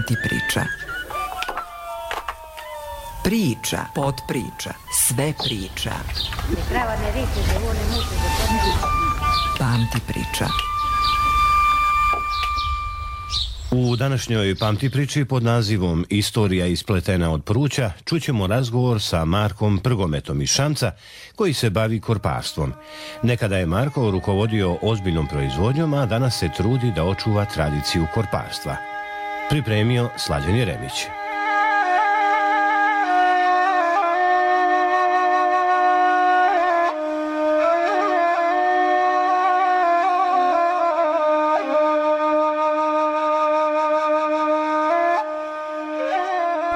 Pamti priča. Priča, potpriča, sve priča. Pamti priča. U današnjoj Pamti priči pod nazivom Istorija ispletena od pruća čućemo razgovor sa Markom Prgometom iz Šamca koji se bavi korparstvom. Nekada je Marko rukovodio ozbiljnom proizvodnjom, a danas se trudi da očuva tradiciju korparstva. Pripremio Slađan Jeremić.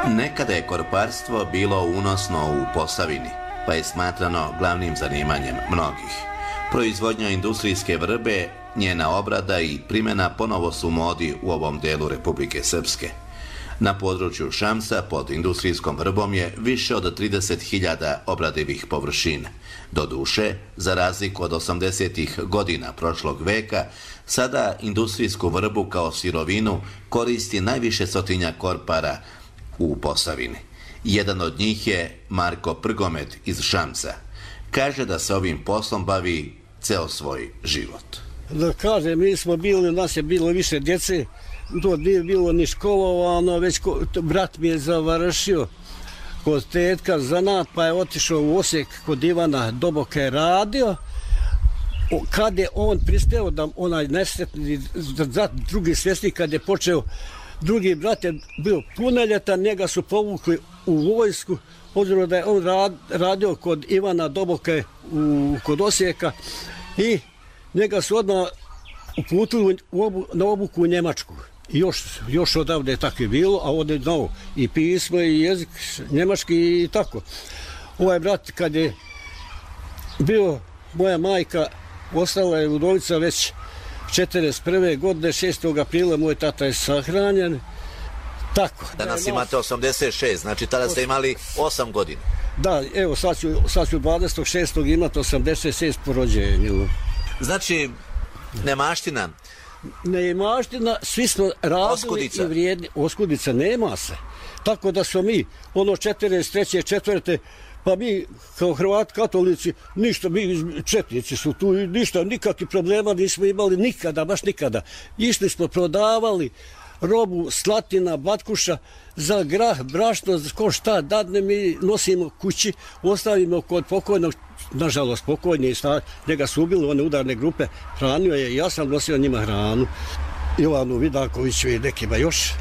Nekada je korparstvo bilo unosno u Posavini, pa je smatrano glavnim zanimanjem mnogih. Proizvodnja industrijske vrbe, njena obrada i primjena ponovo su u modi u ovom delu Republike Srpske. Na području Šamca pod industrijskom vrbom je više od 30.000 obradivih površina. Doduše, za razliku od 80. godina prošlog veka, sada industrijsku vrbu kao sirovinu koristi najviše stotinja korpara u Posavini. Jedan od njih je Marko Prgomet iz Šamca. Kaže da se ovim poslom bavi ceo svoj život. Da kažem, mi smo bili, nas je bilo više djece, to nije bilo ni školovano, već brat mi je završio kod tetka zanat, pa je otišao u Osijek kod Ivana Doboka radio. Kad je on prispeo da onaj nesretni drugi svjesnik, kad je počeo, drugi brat je bio punoljetan, njega su povukli u vojsku, obzirom da je on radio kod Ivana Doboka kod Osijeka i njega su odmah uputili na obuku u Njemačku. I još odavde je tako bilo, a ovdje je znao i pismo i jezik njemački i tako. Ovaj brat kad je bio, moja majka ostala je udovica već 41. godine, 6. aprila moj tata je sahranjen. Tako. Danas imate 86, znači tada ste imali 8 godina. Da, evo sad ću 26. imati 86 po rođenju. Znači, nemaština. Nemaština, svi smo radili Oskudica. I vrijedni. Oskudica nema se. Tako da smo mi, 43. 4. pa mi kao Hrvati katolici, ništa, mi četnici su tu, ništa, nikakvih problema nismo imali nikada, baš nikada. Išli smo, prodavali robu, slatina, batkuša, za grah, brašno, ko šta dadne, mi nosimo kući, ostavimo kod pokojnog, nažalost pokojni, njega su ubili, one udarne grupe, hranio je, ja sam nosio njima hranu, Jovanu Vidakoviću i nekima još.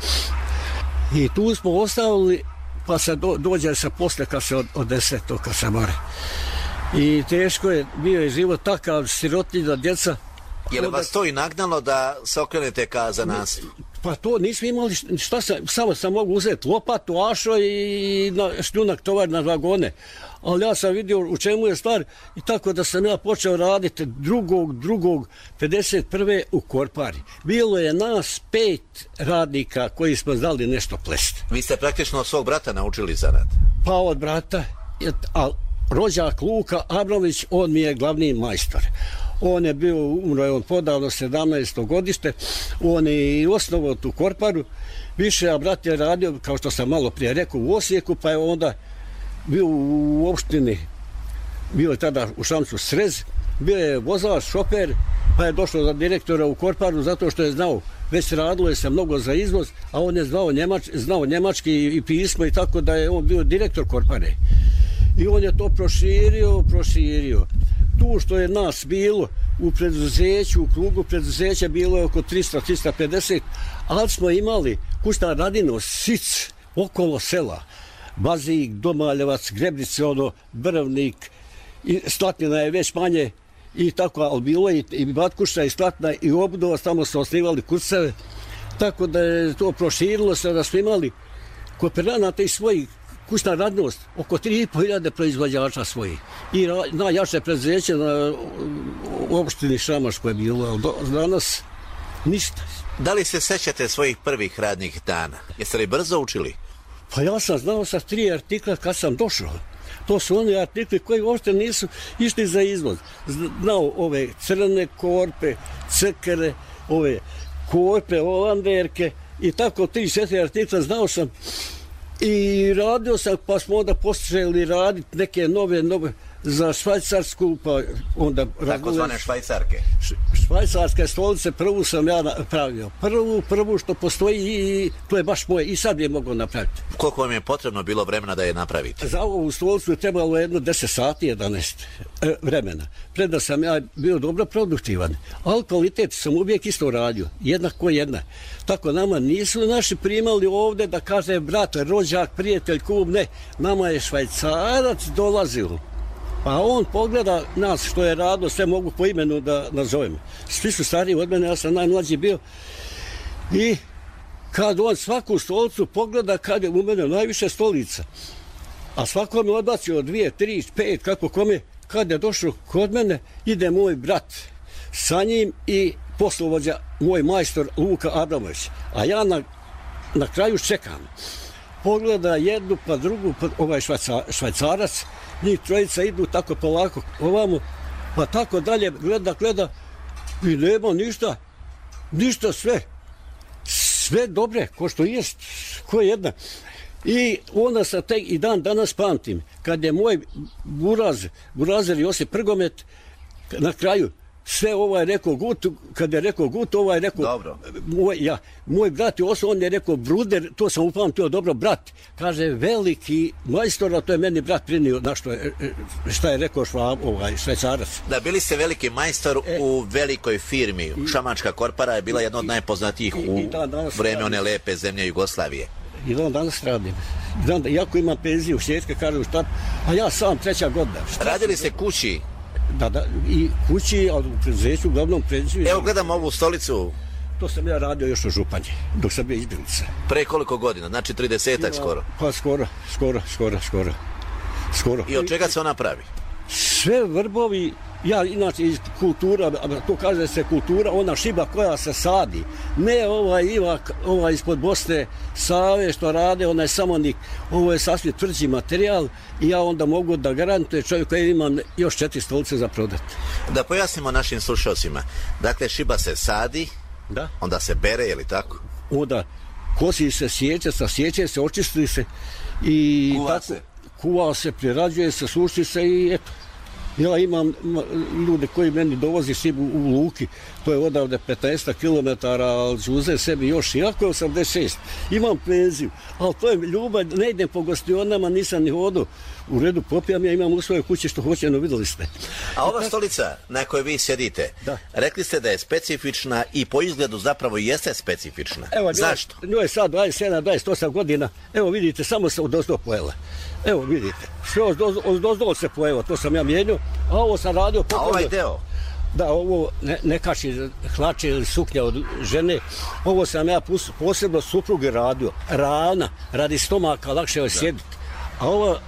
I tu smo ostavili, pa se dođe se posle kad se odnese to kad se more. I teško je, bio je život takav, sirotinja, djeca. Je li vas to i nagnalo da se okrenete ka za nas? Pa to nismo imali, samo sam mogu uzeti lopatu, ašo i šljunak tovar na vagone. Ali ja sam vidio u čemu je stvar i tako da sam ja počeo raditi drugog 51. u korpari. Bilo je nas 5 radnika koji smo znali nešto plesti. Vi ste praktično od svog brata naučili zanat? Pa od brata, a rođak Luka Abramović, on mi je glavni majstor. On je bio, umro je on podavno 17. godište, on je i osnovao tu korparu, više, a brat je radio, kao što sam malo prije rekao, u Osijeku, pa je onda bio u opštini, bio je tada u Šamcu Srez, bio je vozač, šofer, pa je došao za direktora u korparu zato što je znao, već radilo je se mnogo za izvoz, a on je znao njemački i pismo i tako da je on bio direktor korpare. I on je to proširio. Tu što je nas bilo u preduzeću, u krugu preduzeća bilo je oko 300-350, ali smo imali kućna radino, Sic, okolo sela, Bazik, Domaljevac, Grebnice, Brvnik, i Slatina je već manje i tako, ali bilo je i Batkuša i Slatina i Obdova, tamo su osnivali kucave, tako da je to proširilo se da smo imali kooperanata i svojih kućna radnost, oko 3.500 proizvođača svojih. I najjače preduzeće na opštini Šamaš koje je bilo, ali danas ništa. Da li se sećate svojih prvih radnih dana? Jeste li brzo učili? Pa ja sam znao sa 3 artikla kad sam došao. To su oni artikli koji uopšte nisu išli za izvoz. Znao ove crne korpe, cekere, ove korpe, holanderke i tako 3-4 artikla znao sam i radio sam, pa smo onda počeli raditi neke nove za Švajcarsku, pa onda... Takozvane švajcarke. Švajcarske stolice, prvu sam ja napravio. Prvu što postoji i to je baš moje i sad je mogu napraviti. Koliko vam je potrebno bilo vremena da je napravite? Za ovu stolicu je trebalo jedno 10 sati, 11 vremena. Preda sam ja bio dobro produktivan, ali kvalitet sam uvijek isto radio, jednako jedna. Tako nama nisu naši primali ovdje da kaže brat, rođak, prijatelj, kum, ne. Nama je Švajcarac dolazio. Pa on pogleda nas što je radio, sve mogu po imenu da nazovem. Svi su stariji od mene, ja sam najmlađi bio. I kad on svaku stolicu pogleda, kad je u mene najviše stolica, a svako mi odbacio 2, 3, 5, kako kome, kad je došao kod mene, ide moj brat sa njim i poslovođa, moj majstor Luka Abramović. A ja na kraju čekam. Pogleda jednu pa drugu, pa ovaj Švajcarac, njih trojica idu tako polako ovamo, pa tako dalje gleda i nema ništa sve dobre, ko što jest, ko jedna. I onda sam tek i dan danas pamtim, kad je moj burazer Josip Prgomet na kraju sve rekao gut, kad je rekao gut, rekao... Dobro. Moj brat, on je rekao bruder, to sam upamtio dobro, brat. Kaže, veliki majstor, a to je meni brat prinio, šta je rekao Švajcarac. Da, bili ste veliki majstor u velikoj firmi. Šamančka korpora je bila jedna od najpoznatijih u vreme one lepe zemlje Jugoslavije. I dan danas radim. Iako imam penziju u Sječke, kažem šta, a ja sam 3. godina. Radili ste kući? Da, i kući, ali u preduzeću, uglavnom penziju. Evo gledam ovu stolicu. To sam ja radio još u Županji, dok sam bio izbjeglica. Pre koliko godina? Znači 30-ak skoro? Pa skoro. I od čega se ona pravi? Sve vrbovi, ja inače iz kultura, to kaže se kultura, ona šiba koja se sadi. Ne Ivak, ispod Bosne, Save što rade, onaj samonik, ovo je sasvim tvrđi materijal i ja onda mogu da garantujem čovjek koji imam još 4 stolice za prodat. Da pojasnimo našim slušalcima. Dakle, šiba se sadi, da? Onda se bere, je li tako? Onda kosi se, sjeće se, očisti se i kuva se, prerađuje se, suši se i eto. Ja imam ljude koji meni dovozi šibu u Luki, to je odavde 15 km, ali ću uzeti sebi još, iako je 86, imam penziju, ali to je ljubav, ne idem po gostionama, nisam ni hodao, u redu popijam, ja imam u svojoj kući što hoće, no vidjeli ste. A ova stolica na kojoj vi sjedite, rekli ste da je specifična i po izgledu zapravo jeste specifična. Zašto? Njoj je sad 27-28 godina, evo vidite, samo se odozdo pojela. Evo vidite, sve odozdo se pojela, to sam ja mijenio, a ovo sam radio... A ovaj deo? Da, ovo ne kači hlače ili suknja od žene, ovo sam ja posebno supruge radio, ravna, radi stomaka, lakše je sjediti. A ova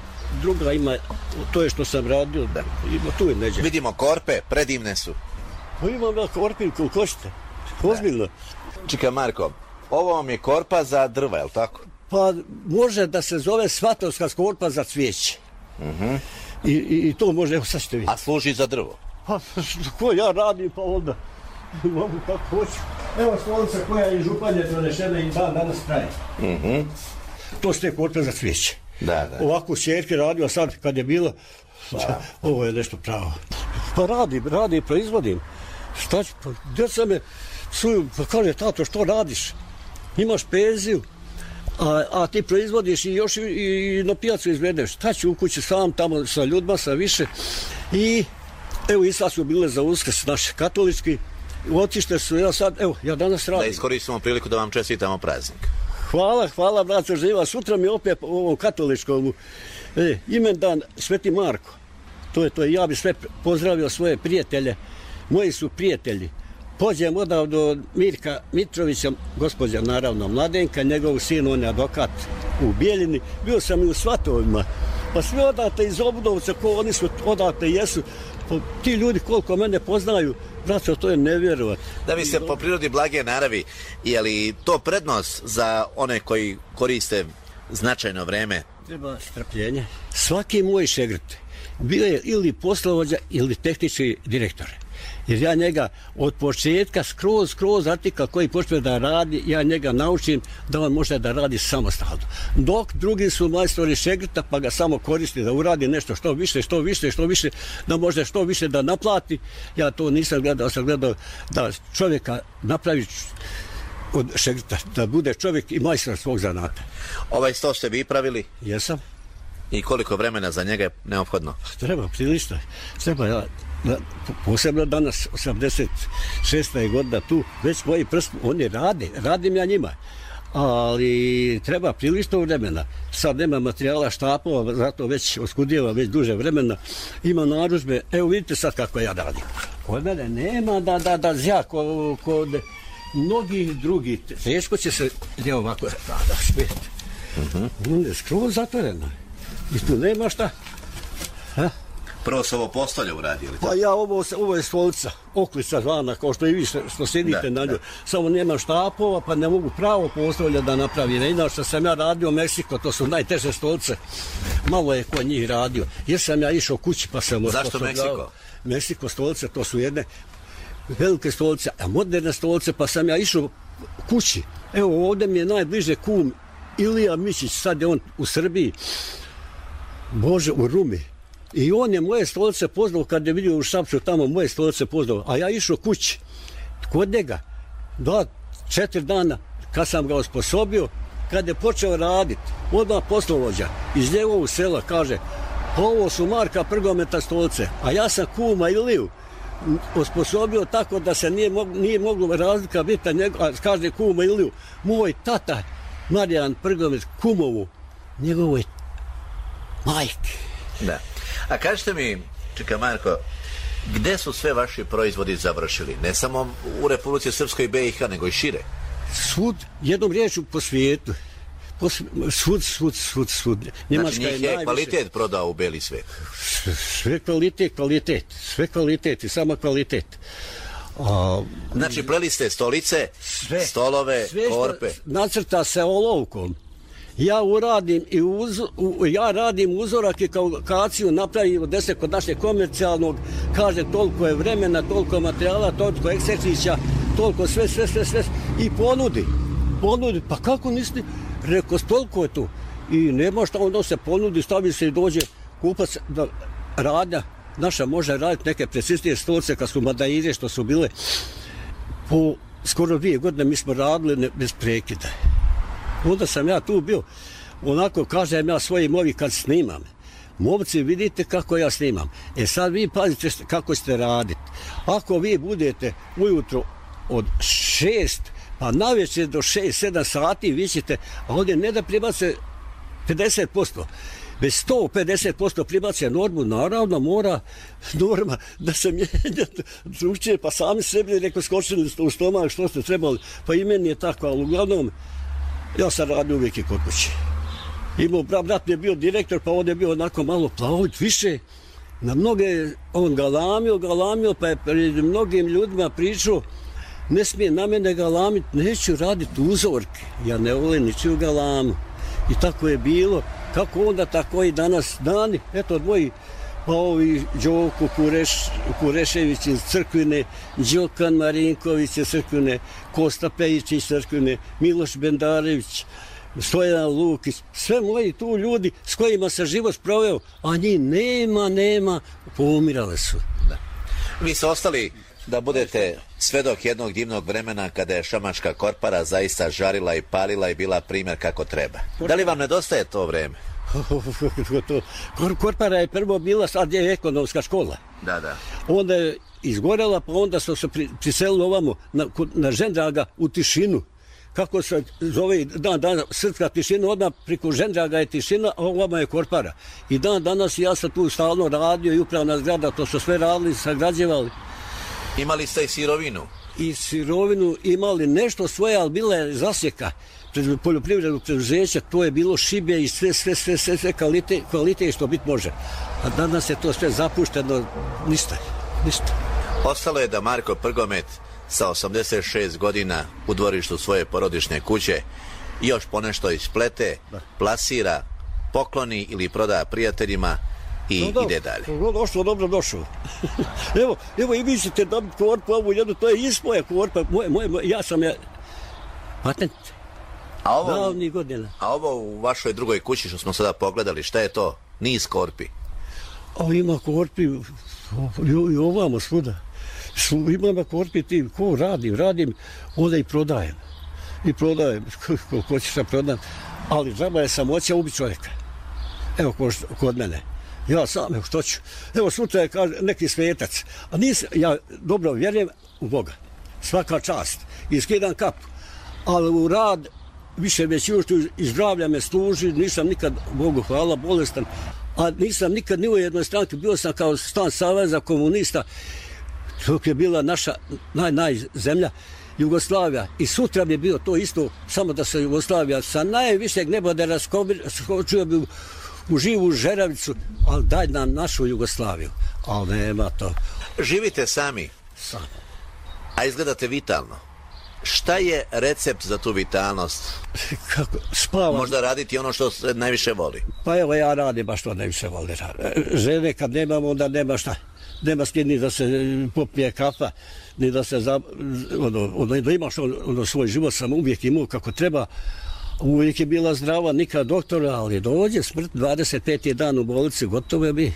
druga ima, to je što sam radio, ima tu je neđe. Vidimo korpe, predivne su. Pa imam ja korpin, koliko hoćete, ozbiljno. Čekaj Marko, ovo vam je korpa za drva, je li tako? Pa može da se zove svatovska korpa za cvijeće. I to može, evo sad ćete vidjeti. A služi za drvo? Pa ko ja radim, pa onda mogu kako hoću. Evo stolica koja je iz Županje donešena i dan danas traje. To su te korpe za cvijeće. Da. Ovako Čerke radio sad kad je bilo, ovo je nešto pravo. Pa radim, proizvodim. Šta ću, pa djeca me psuju, pa kaže, tato, što radiš? Imaš penziju, a ti proizvodiš i još i na pijacu izvedeš. Šta ću u kući sam, tamo sa ljudima, sa više. I evo i sad su bile za Uskrs naši katolički. Otište su, ja danas radim. Da iskoristimo priliku da vam čestitamo praznik. Hvala, braco živa. Sutra mi opet u ovom katoličkom imendan Sveti Marko. To je, ja bi sve pozdravio svoje prijatelje. Moji su prijatelji. Pođem odavde od Mirka Mitrovića, gospođa naravno Mladenka, njegov sin, on je advokat u Bijeljini. Bio sam i u Svatovima. Pa svi odate iz Obudovca, ko oni su odate jesu. Pa, ti ljudi koliko mene poznaju, braco, to je nevjerovatno. Da vi ste po prirodi blage naravi, je li to prednost za one koji koriste značajno vreme? Treba strpljenje. Svaki moj šegrt bio je ili poslovođa ili tehnički direktor. Jer ja njega od početka skroz artikal koji počne da radi, ja njega naučim da on može da radi samostalno. Dok drugi su majstori šegrta pa ga samo koristi da uradi nešto što više, da može što više da naplati. Ja to nisam gledao, sam gledao da čovjeka napravi od šegrta, da bude čovjek i majstor svog zanata. Ovaj sto ste vi pravili? Jesam. I koliko vremena za njega je neophodno? Treba, prilično. Treba, ja, posebno danas, 86. godina tu, već moji prst, oni radim ja njima. Ali treba prilično vremena. Sad nema materijala, štapova, zato već oskudijeva već duže vremena. Ima narudžbe, evo vidite sad kako ja radim. Kod mene nema da zja kod mnogih drugih. Teško će se, evo ovako, da spet. On je skroz zatvoreno. I tu nema šta. Prvo se ovo postolje uradi, ili tako? Pa ja, ovo je stolica, oklica zvana, kao što i vi što sedite na nju. Samo nema štapova, pa ne mogu pravo postolje da napravi. Inače sam ja radio u Meksiko, to su najteže stolice. Malo je ko njih radio. Jer sam ja išao kući, pa sam... Zašto Meksiko? Meksiko stolice, to su jedne velike stolice, a moderne stolice, pa sam ja išao kući. Evo, ovdje mi je najbliže kum Ilija Mišić, sad je on u Srbiji, Bože, u Rumi. I on je moje stolice poznao, kad je vidio u Šapcu tamo, moje stolice poznao. A ja išao kući, kod njega, 2-4 dana, kad sam ga osposobio, kad je počeo raditi, odmah poslovođa iz njegovog sela kaže, ovo su Marka Prgometa stolice, a ja sam kuma Iliju osposobio tako da se nije moglo razlika biti, a kaže kuma Iliju, moj tata Marijan Prgomet kumovu, njegovoj majke. Da. A kažete mi, čekaj Marko, gde su sve vaši proizvodi završili? Ne samo u Republici Srpskoj i BiH, nego i šire? Svud, jednom riječu po svijetu. Svud. Njemačka znači njih je najviše... kvalitet prodao u beli svijet? Sve kvalitet i sama kvalitet. Znači pleli ste stolice, stolove, korpe? Nacrta se olovkom. Ja radim uzorak i kalkulaciju napravim od 10 kod našeg komercijalnog, kaže toliko je vremena, toliko materijala, toliko eksercića, toliko sve i ponudi, pa kako niste, rekao, toliko je tu i nema šta, onda se ponudi, stavi se i dođe kupac da radnja naša može raditi neke preciznije stolice kad su madaire što su bile po skoro 2 godine mi smo radili bez prekida. Onda sam ja tu bio, onako kažem ja svojim ovi kad snimam. Momci, vidite kako ja snimam. Sad vi pazite kako ćete raditi. Ako vi budete ujutro od 6 pa navečer do 6-7 sati vi ćete, a ovdje ne da pribace 50%, već 150% pribace normu, naravno mora norma da se mijenja drugčije, pa sami sebi neko skočili u stomak što ste trebali, pa i meni je tako, ali uglavnom ja sam radio uvijek i kod kuće. Imao brat mi je bio direktor, pa on je bio onako malo plavit više. Na mnoge on galamio, pa je pred mnogim ljudima pričao, ne smije na mene galamiti, neću raditi uzorke. Ja ne volim ničiju galamu. I tako je bilo. Kako onda, tako i danas dani. Eto, moji, pa ovi Đoko Kurešević iz Crkvine, Đokan Marinković iz Crkvine, Kosta Pejić iz Crkvine, Miloš Bendarević, Stojan Lukić, sve moji tu ljudi s kojima se život proveo, a njih nema, poumirale su. Da. Vi ste ostali da budete svedok jednog divnog vremena kada je šamačka korpara zaista žarila i palila i bila primjer kako treba. Da li vam nedostaje to vreme? Korpara je prvo bila, sad je ekonomska škola. Da. Onda je izgorela, pa onda su se priselili ovamo na Žendraga u tišinu. Kako se zove dan srpska tišina, odmah preko Žendraga je tišina, a ovamo je korpara. I dan danas ja sam tu stalno radio i upravna zgrada, to su sve radili, sagrađevali. Imali ste i sirovinu? I sirovinu imali nešto svoje, ali bila je zasjeka pred poljoprivrednog preduzeća, to je bilo šibe i sve kvalitet što biti može. A danas je to sve zapušteno, ništa. Ostalo je da Marko Prgomet sa 86 godina u dvorištu svoje porodične kuće još ponešto isplete, plasira, pokloni ili proda prijateljima, i ide dalje. Došlo, dobro došao. evo i vi ćete dobiti korpu, ovu jednu, to je moja korpa, ja sam je patent. Davnih godina. A ovo u vašoj drugoj kući što smo sada pogledali, šta je to? Niz korpi. A ima korpi i ovamo svuda. Imam korpi ti, ko radim, onda i prodajem. Koliko ćeš da prodam. Ali džaba je samoća ubi čovjeka. Evo kod mene. Ja sam, evo što ću. Evo sutra je neki svetac. A ja dobro vjerujem u Boga. Svaka čast. I skidam kapu. Ali u rad više već i zdravlja me služi. Nisam nikad, Bogu hvala, bolestan. A nisam nikad ni u jednoj stranki. Bio sam kao član Saveza komunista. Dok je bila naša zemlja Jugoslavija. I sutra bi bio to isto, samo da se Jugoslavija sa najvišeg neba da raskočio bi u živu žeravicu, ali daj nam našu Jugoslaviju. Ali nema to. Živite sami? Sam. A izgledate vitalno. Šta je recept za tu vitalnost? Kako? Spavam. Možda raditi ono što se najviše voli. Pa evo ja radim baš što najviše voli. Žene kad nemamo, onda nema šta. Nema s kim ni da se popije kafa, ni da se da imaš svoj život sam uvijek imao kako treba. Uvijek je bila zdrava, nikad doktora, ali dođe smrt, 25. dan u bolnici, gotove bi.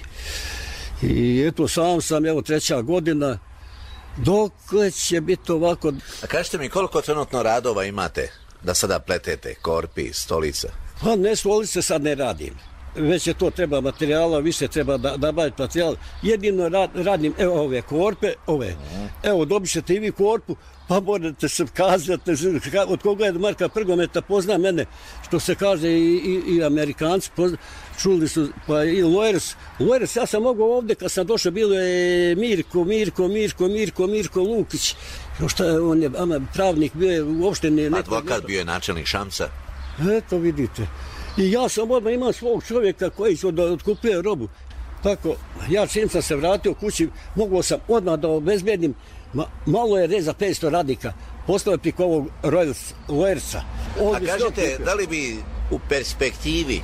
I eto, sam, evo, 3. godina, dok će biti ovako. A kažete mi, koliko trenutno radova imate da sada pletete, korpi, stolica? Pa ne, stolice sad ne radim. Već je to treba materijala, više treba da baviti materijal. Jedino radim, evo ove korpe, evo dobit ćete i vi korpu, pa morate se kazati od koga je Marka Prgometa, pozna mene, što se kaže i Amerikanci, čuli su, pa i Loers, ja sam mogao ovdje, kad sam došao, bilo je Mirko Lukić, on je pravnik, bio je uopšte... Advokat, bio je načelnik Šamca. Eto vidite. I ja sam odmah imao svog čovjeka koji su otkupio robu. Tako, ja čim sam se vratio kući, mogao sam odmah da obezbedim, malo je reza 500 radnika, postao je priko ovog Loersa. A kažete, da li bi u perspektivi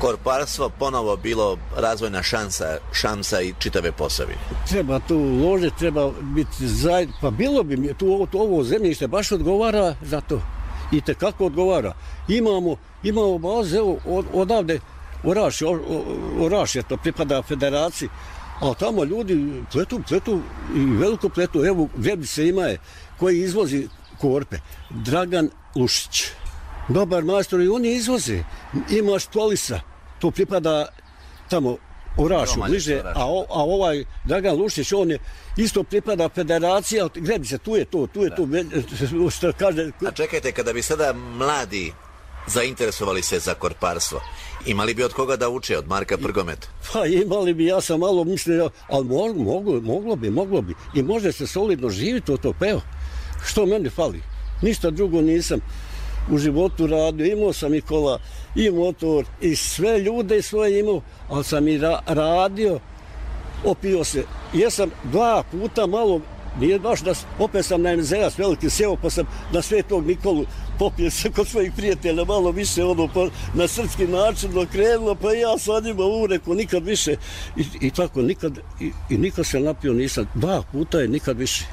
korparstvo ponovo bilo razvojna šansa i čitave Posavine? Treba tu uložiti, treba biti zajedno, pa bilo bi mi tu ovo zemljište baš odgovara za to. I tekako odgovara. Imamo baze, evo, odavde Oraš je to, pripada federaciji, a tamo ljudi pletu i veliko pletu. Evo, Vjebice ima je, koji izvozi korpe. Dragan Lušić. Dobar majstor i oni izvoze. Ima Štolisa, to pripada tamo Orašu, bliže, a ovaj Dragan Lušić, on je isto pripada federacija, Vjebice, tu je to, što kaže... A čekajte, kada bi sada mladi zainteresovali se za korparstvo, imali bi od koga da uče, od Marka Prgometa? Pa imali bi, ja sam malo mislio, ali moglo bi. I može se solidno živjeti od to, pa evo, što meni fali? Ništa drugo nisam u životu radio, imao sam i kola, i motor, i sve ljude svoje imao, ali sam i radio, opio se. Jesam 2 puta malo, nije baš da, opet sam na MZS veliki sjeo, pa sam na Svetog Nikolu popio se kod svojih prijatelja, malo više na srpski način okrenulo, pa ja sa njima ureko, nikad više. I tako, nikad se napio nisam, 2 puta je nikad više.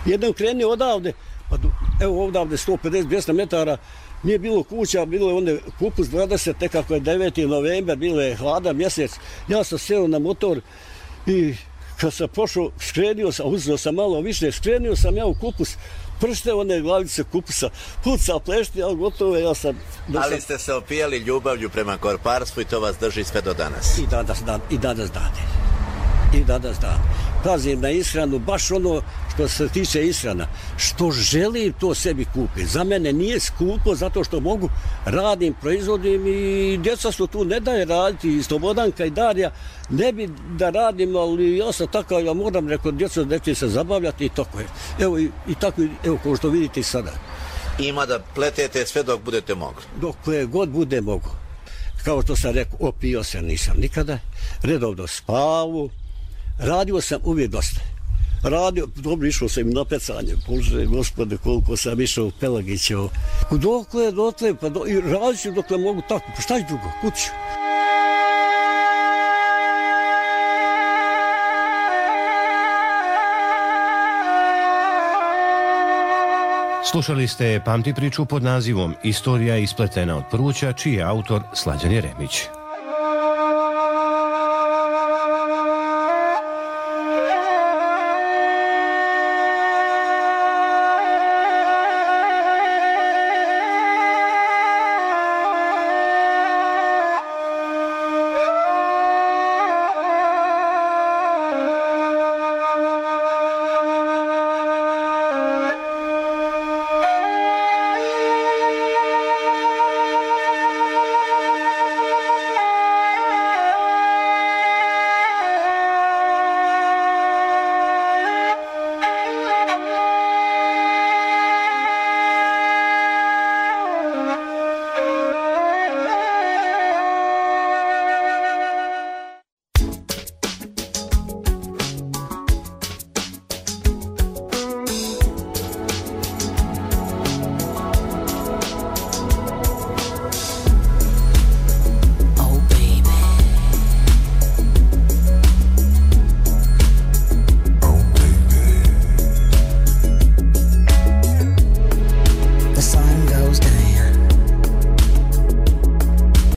Jedan krenio odavde, pa evo odavde 150-200 metara, nije bilo kuća, bilo je onda kupus 20, nekako je 9. novembar, bilo je hladan mjesec. Ja sam seo na motor i kad sam pošao, uzeo sam malo više, skrenio sam ja u kupus, pršte one glavice kupusa, puca, plešti, ali gotovo ja sam... Ali ste se opijali ljubavlju prema korparstvu i to vas drži sve do danas. I danas dane. Pazim na ishranu, baš ono što se tiče ishrana. Što želim, to sebi kupim. Za mene nije skupo, zato što mogu, radim, proizvodim i djeca su tu, ne daje raditi, i Slobodanka i Darija, ne bi da radim, ali ja sam takav, ja moram, rekao, djeca neće se zabavljati i tako je. I tako, kao što vidite i sada. Ima da pletete sve dok budete mogli. Dok god bude mogu. Kao što sam rekao, opio se nisam nikada, redovno spavu, radio sam uvijek dosta. Dobro, išao sam i na pecanje, Bože, Gospode, koliko sam išao u Pelagićevo. Dokle, pa i radit ću dokle mogu tako, pa šta je drugo, kuću. Slušali ste Pamti priču pod nazivom Istorija ispletena od pruća, čiji je autor Slađan Jeremić.